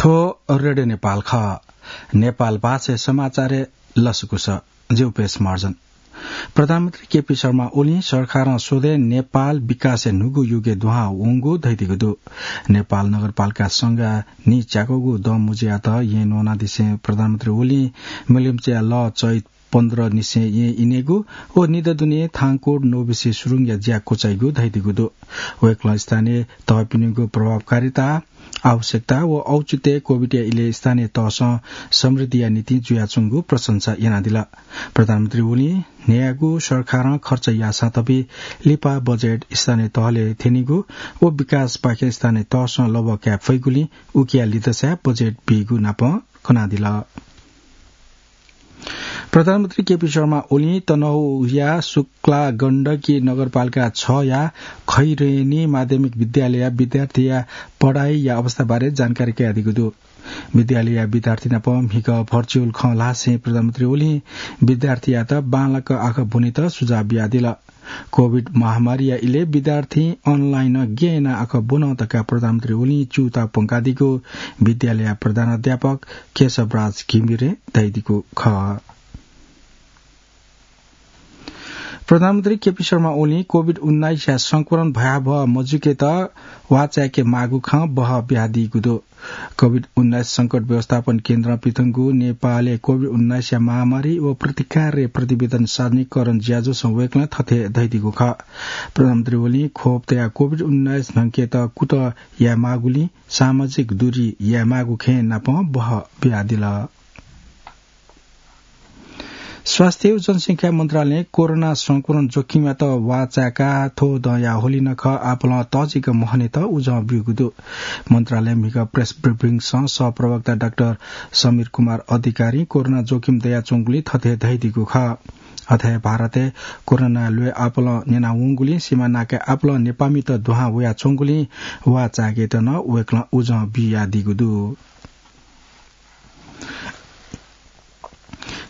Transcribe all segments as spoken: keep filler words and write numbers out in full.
थ्व रेडियो नेपाल खः। नेपाल भाषाय् समाचारय् लसकुस। जि उपेश महर्जन। प्रधानमन्त्री केपी शर्मा ओलीं सरकारं स्वदँय् नेपाल विकासय् न्हूगु युगय् दुहां वंगु धयादीगु दु। नेपाल नगरपालिका संघया नीच्याकःगु दँ मुँज्यायेत येँ न्वनादिसें प्रधानमन्त्री ओलीं मिलिमचाया लः चैत पन्ध्र निसें येँ इनेगु व निदँ दुने थांकोट नोबिसे सुरुङया ज्या क्वचाइगु धयादीगु दु। वय्कलं स्थानीय तहपिनिगु प्रभावकारिता, आवश्यकता व औचित्य कोभिडया इलय् स्थानीय तहसं समृद्धिया निंतिं जुयाच्वंगु प्रशंसा यानादिल। प्रधानमन्त्री ओलीं न्हय्यागु सरकारं खर्च याःसां तबि लिपा बजेट स्थानीय तहलय् थ्यनीगु व विकासपाखें स्थानीय तहसं लःबः काये फइगुलिं उकिया लिधंसाय् बजेट बीगु नाप कनादिल। प्रधानमन्त्री केपी शर्मा ओलीं तनहुँया शुक्ला गण्डकी नगरपालिका छया खैरेनी माध्यमिक विद्यालयया विद्यार्थीया पढाइया अवस्थाबारे जानकारी कयादीगु दु। विद्यालयया विद्यार्थी नाप म्हिगः virtual खँ ल्हासें प्रधानमन्त्री ओलीं विद्यार्थीयात बांलाक आखः ब्वनेत सुझाव बियादिल। कोभिड महामारीया इलय् विद्यार्थीं online गय् यानाः आखः ब्वन धकाः प्रधानमन्त्री ओलीं च्यूताः प्वंकादीगु विद्यालयया प्रधानाध्यापक केशवराज घिमिरें धयादीगु खः। प्रधानमन्त्री केपी शर्मा ओलीं कोभिड उन्नाइसया संक्रमण भयावह मजुकेत वाःचाय्के माःगु खँ बहः बियादीगु दु। कोभिड उन्नाइस संकट व्यवस्थापन केन्द्रं पिथंगु नेपालय् कोभिड उन्नाइसया महामारी व प्रतिकारया प्रतिवेदन सार्वजनिकरण ज्याझ्वलय् वय्कलं थथे धयादीगु खः। प्रधानमन्त्री ओलीं खोप तयाः कोभिड उन्नाइस न्हंकेत कुतः यायेमाःगुलिं सामाजिक दूरी यायेमाःगु खँय् नापं बहः बियादिल। स्वास्थ्य व जनसंख्या मन्त्रालयं कोरोना संक्रमण जोखिमयात वाःचाय्काः थ्व दँया होली नखः आपालं तःजिक महनेत उजं ब्यूगु दु। मन्त्रालयं म्हिगः press briefing-सं सहप्रवक्ता डाक्टर समीर कुमार अधिकारीं कोरोना जोखिम दयाच्वंगुलिं थथे धयादीगु खः। अथे भारतय् कोरोनाया ल्वय् आपालं न्यनावंगुलिं सीमा नाकाय् आपालं नेपाःमित दुहां वयाच्वंगुलिं वाःचाय्केत नं वय्कलं उजं बियादीगु दु।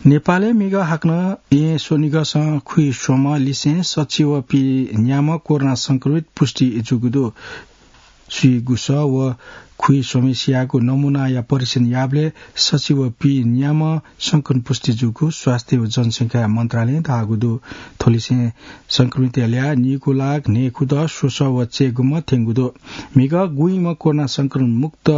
नेपालय् म्हिगः हाकनं येँ स्वनिगःसं खुइस्वम्ह लिसें सछि व पीन्याम्ह कोरोना संक्रमित पुष्टि जूगु दु। स्वीगुसः व खुइस्वम्हेसियागु नमूनाया परीक्षण याःबलय् सछि व पीन्याम्ह संक्रमित पुष्टि जूगु स्वास्थ्य व जनसंख्या मन्त्रालयं धाःगु दु। थ्वलिसें संक्रमितया ल्याः नीगू लाख न्हय्खुदँ स्वसः व चय्गुम्ह थ्यंगु दु। म्हिगः गुइम्ह कोरोना संक्रमण मुक्त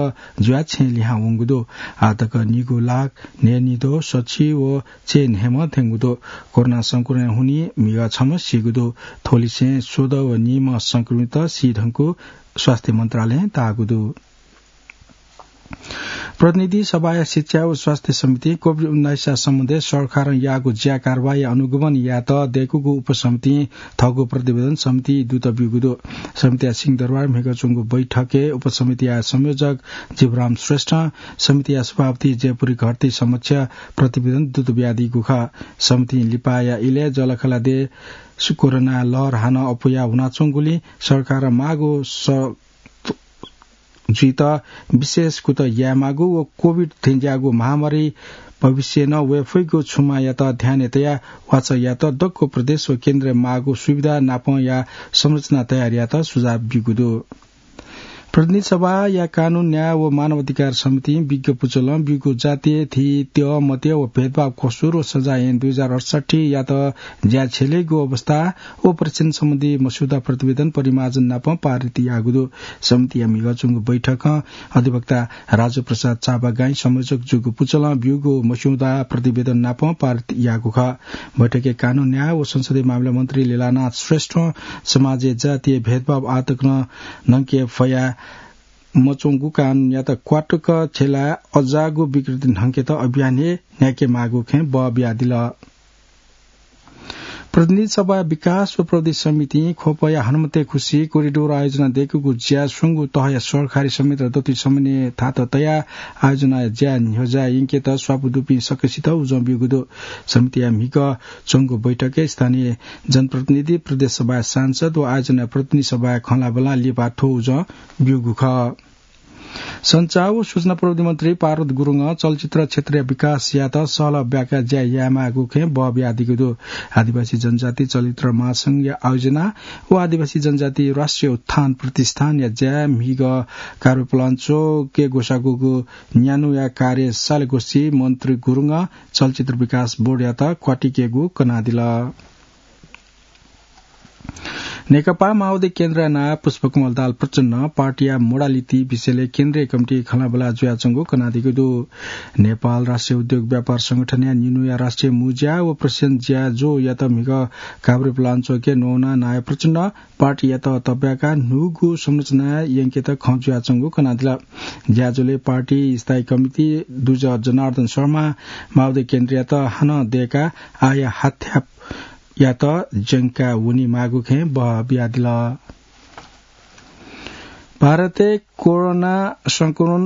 जुयाः छेँय् लिहां वंगु दु। आःतक नीगू लाख न्हय्निद्वः सछि व चय्न्हय्म्ह थ्यंगु दु। कोरोना संक्रमणया हुनिं म्हिगः छम्ह सीगु दु। थ्वलिसें स्वदँ व नीम्ह संक्रमित सी धुंकूगु स्वास्थ्य मन्त्रालयं धाःगु दु। प्रतिनिधि सभाया शिक्षा व स्वास्थ्य समितिं कोभिड उन्नाइसया सम्बन्धय् सरकारं याःगु ज्या कारवाहीया अनुगमन यायेत दय्कूगु उपसमितिं थःगु प्रतिवेदन समितिदूत ब्यूगु दु। समितिया सिंहदरबार म्हिगः च्वंगु बैठकय् उपसमितिया संयोजक जीवराम श्रेष्ठं समितिया सभापति जयपुरी घरती समक्ष प्रतिवेदन दूत बियादीगु खः। समितिं लिपाया इलय् जःलाखःला देय् कोरोना लहर हानं अप्वया वनाच्वंगुलिं सरकारं माःगु स-, जुइत विशेष कुतः यायेमाःगु व कोभिड थेंज्याःगु महामारी भविष्यय् नं वये फइगु क्षमतायात ध्यानय् तयाः वाचः यायेत दक्व प्रदेश व केन्द्रय् माःगु सुविधा नापंया संरचना तयार यायेत सुझाव ब्यूगु दु। प्रतिनिधि सभाया कानून, न्याय व मानव अधिकार समितिं विज्ञ पुचलं ब्यूगु जातीय, धी, त्यः, मत्यः व भेदभाव कसुर व सजाय ऐन दुई हजार अठसट्ठीयात ज्या छ्यलेगु अवस्था व परीक्षण सम्बन्धी मस्यौदा प्रतिवेदन परिमार्जन नापं पारित याःगु दु। समितिया म्हिगः च्वंगु बैठकं अधिवक्ता राजु प्रसाद चापागाईं संयोजक जूगु पुचलं ब्यूगु मस्यौदा प्रतिवेदन नापं पारित याःगु खः। बैठकय् कानून, न्याय व संसदीय मामिला मन्त्री लीलानाथ श्रेष्ठं समाजय् जातीय भेदभाव आःतक नं न्हंके फया मच्वंगु कानूनयात क्वातुक छ्यलाः अज्याःगु विकृति न्हंकेत अभियान हे न्ह्याकेमाःगु खँय् बः बियादिल। प्रतिनिधि सभाया विकास व प्रविधि समितिं ख्वपया हनुमते खुसी कोरिडोर आयोजना दय्कूगु ज्या स्वंगू तहया सहकारी समिति दथुइ समन्वय थात तयाः आयोजनाया ज्या न्ह्यज्याः यंकेत स्वापू दुपिं सकसित उजं ब्यूगु दु। समितिया म्हिगः च्वंगु बैठकय् स्थानीय जनप्रतिनिधि, प्रदेश सभाया सांसद व आयोजनाया प्रतिनिधि सभाय् खँ ल्हाःबल्लां लिपा थ्व उजं ब्यूगु खः। सञ्चार व सूचना प्रविधि मन्त्री पारद गुरुङं चलचित्र क्षेत्रया विकास यायेत सहलह ब्याका ज्या यायेमाःगु खँय् बः बियादीगु दु। आदिवासी जनजाति चलचित्र महासंघया आयोजना व आदिवासी जनजाति राष्ट्रिय उत्थान प्रतिष्ठानया ज्याय् म्हिगः काभ्रेपलाञ्चोकय् ग्वसाःगु न्यान्हुया कार्य साले गोष्ठी मन्त्री गुरुङं चलचित्र विकास बोर्डयात क्वातिकेगु कनादिल। नेकपा माओवादी केन्द्रया नायः पुष्पकमल दाहाल प्रचण्डं पार्टीया modality विषयलय् केन्द्रीय कमिटी खँल्हाबल्हा जुयाच्वंगु कनादीगु दु। नेपाल राष्ट्रिय उद्योग व्यापार संगठनया निन्हुया राष्ट्रिय मुंज्या व प्रशासन ज्याझ्वःयात म्हिगः काभ्रेपलाञ्चोकय् नवानाः नायः प्रचण्डं पार्टीयात तब्याकाः न्हूगु संरचना यंकेत खँ जुयाच्वंगु कनादिल। ज्याझ्वलय् पार्टी स्थायी कमिटी दुजः जनार्दन शर्मां माओवादी केन्द्रयात हानं दय्काः आःया हाथ्याःयात ज्यंका वनेमाःगु खँय् बः बियादिल। भारतय् कोरोना संक्रमण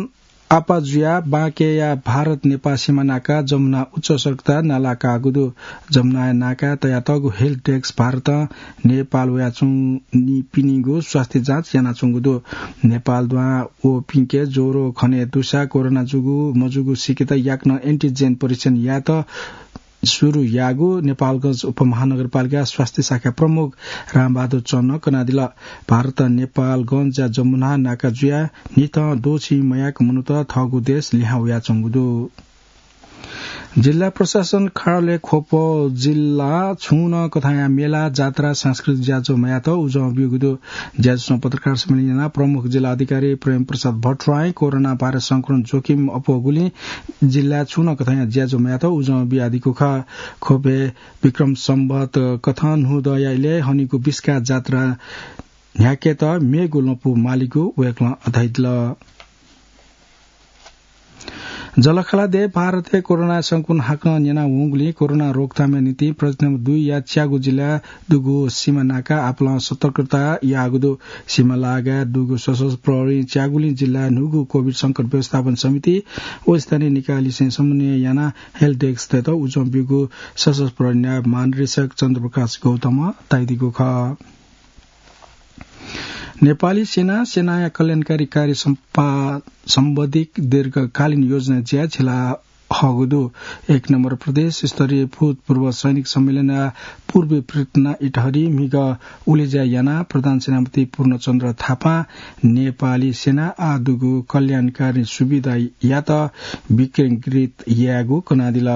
आपाः जुयाः बांलाकेया भारत नेपाल सीमा नाका जमुना उच्च सतर्कता नाला काःगु दु। जमुनाया नाकाय् तयातःगु help desk भारतं नेपाल वयाच्वंपिनिगु स्वास्थ्य जाँच यानाच्वंगु दु। नेपाल दुहां वःपिन्के ज्वरो खने दुसा कोरोना जूगु मजूगु सीकेत याकनं antigen परीक्षण यायेत सुरु याःगु नेपालगंज उपमहानगरपालिका स्वास्थ्य शाखा प्रमुख रामबहादुर चन्दं कनादिल। भारतं नेपालगंजया जमुना नाका जुयाः न्हिथं द्वःछि मयाक मनूत थःगु देश लिहां वयाच्वंगु दु। जिल्ला प्रशासन कार्यालय ख्वप जिल्ला छुं नं कथंया मेला, जात्रा, सांस्कृतिक ज्याझ्वः मयात उजं ब्यूगु दु। ज्याझ्वलं पत्रकार सम्मेलन यानाः प्रमुख जिल्ला अधिकारी प्रेम प्रसाद भट्टराईं कोरोना भाइरस संक्रमण जोखिम अप्वःगुलिं जिल्लाय् छुं नं कथंया ज्याझ्वः मयात उजं बियादीगु खः। ख्वपय् विक्रम सम्वत कथं न्हूदँया इलय् हनीगु बिस्का जात्रा न्ह्याकेत मेगु लँपु मालीगु वय्कलं धयादिल। जलखाला देय् भारतय् कोरोना संक्रमण हाकनं न्यना वंगुलिं कोरोना रोकथामया निंतिं प्रदेश नम्बर दुईया च्यागू जिल्लाय् दुगु सीमा नाका आपालं सतर्कता याःगु दु। सीमा लागाय् दुगु सशस्त्र प्रहरीं च्यागुलिं जिल्लाय् न्हूगु कोभिड संकट व्यवस्थापन समिति व स्थानीय निकायलिसें समन्वय यानाः help desk तयेत उजं ब्यूगु सशस्त्र प्रहरी नायब महानिरीक्षक चन्द्रप्रकाश गौतमं धयादीगु खः। नेपाली सेना, सेनाया कल्याणकारी कार्य सम्पा-, सम्बन्धी दीर्घकालीन योजना ज्याय् छिला हःगु दु। एक नम्बर प्रदेश स्तरीय भूतपूर्व सैनिक सम्मेलनया पूर्वी पृथ्ना इटहरी म्हिगः उलेज्या यानाः प्रधान सेनापति पूर्णचन्द्र थापां नेपाली सेना आः दुगु कल्याणकारी सुविधायात विकेन्द्रित यायेगु कनादिल।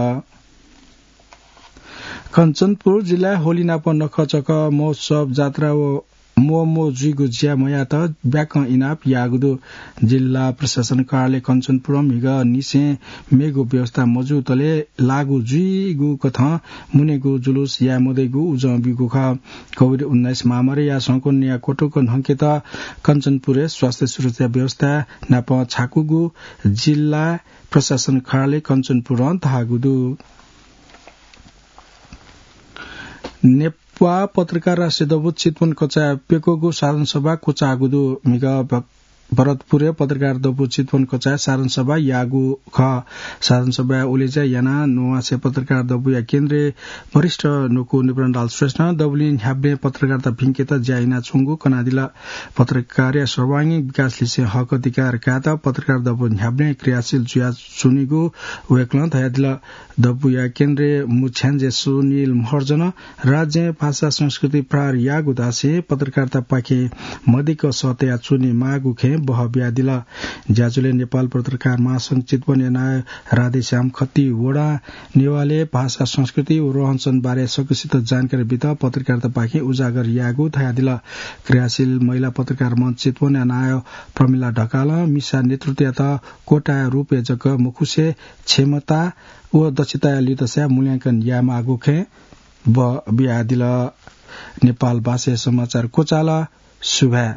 कञ्चनपुर जिल्लाय् होली नाप नखःचखः महोत्सव, जात्रा व म्वःम्वः जुइगु ज्या मयात ब्याकं इनाप याःगु दु। जिल्ला प्रशासन कार्यालय कञ्चनपुरं म्हिगः निसें मेगु व्यवस्था मजूतले लागू जुइगु कथं मुनेगु जुलुस याये मदइगु उजं ब्यूगु खः। कोभिड उन्नाइस महामारीया संक्रमणया क्वतुक न्हंकेत कञ्चनपुरय् स्वास्थ्य सुरक्षा व्यवस्था नाप छाकूगु जिल्ला प्रशासन कार्यालय कञ्चनपुरं धाःगु दु। नेपाल पत्रकार राष्ट्रिय दबू चितवन कचाय् प्यक्वःगु साधारण सभा क्वचाःगु दु। म्हिगः भ-, भरतपुरय् पत्रकार दबू चितवन कचाय् साधारण सभा याःगु खः। साधारण सभाय् उलेज्या यानाः नुवासे पत्रकार दबूया केन्द्रीय वरिष्ठ न्वकू निपुण दाहाल श्रेष्ठं दबुलिं न्ह्याबलें पत्रकारिता भिंकेत ज्या यानाच्वंगु कनादिल। पत्रकारया सर्वाङ्गीण विकास लिसें हक अधिकार कायेत पत्रकार दबू न्ह्याबलें क्रियाशील जुयाच्वनीगु वय्कलं धयादिल। दबूया केन्द्रीय मुख्याञ्जे सुनिल महर्जनं राज्यं भाषा संस्कृति प्रहार याःगु धासें पत्रकारितापाखें मदिक्क सः तयाच्वनेमाःगु खँय् बह बियादिल। ज्याझ्वलय् नेपाल पत्रकार महासंघ चितवनया नायः राधेश्याम खतिवडां नेवालय् भाषा संस्कृति व रहनसहन बारे सकसित जानकारी बीत पत्रकारितापाखें उजागर याःगु धयादिल। क्रियाशील महिला पत्रकार मञ्च चितवनया नायः प्रमिला ढकालं मिसा नेतृत्वयात कोटाया रूपय् जक मखुसे क्षमता व दक्षताया लिधंसाय् मूल्यांकन यायेमाःगु खँय् बह बियादिल। नेपाल भाषाया समाचार क्वचाल। सुभाय्।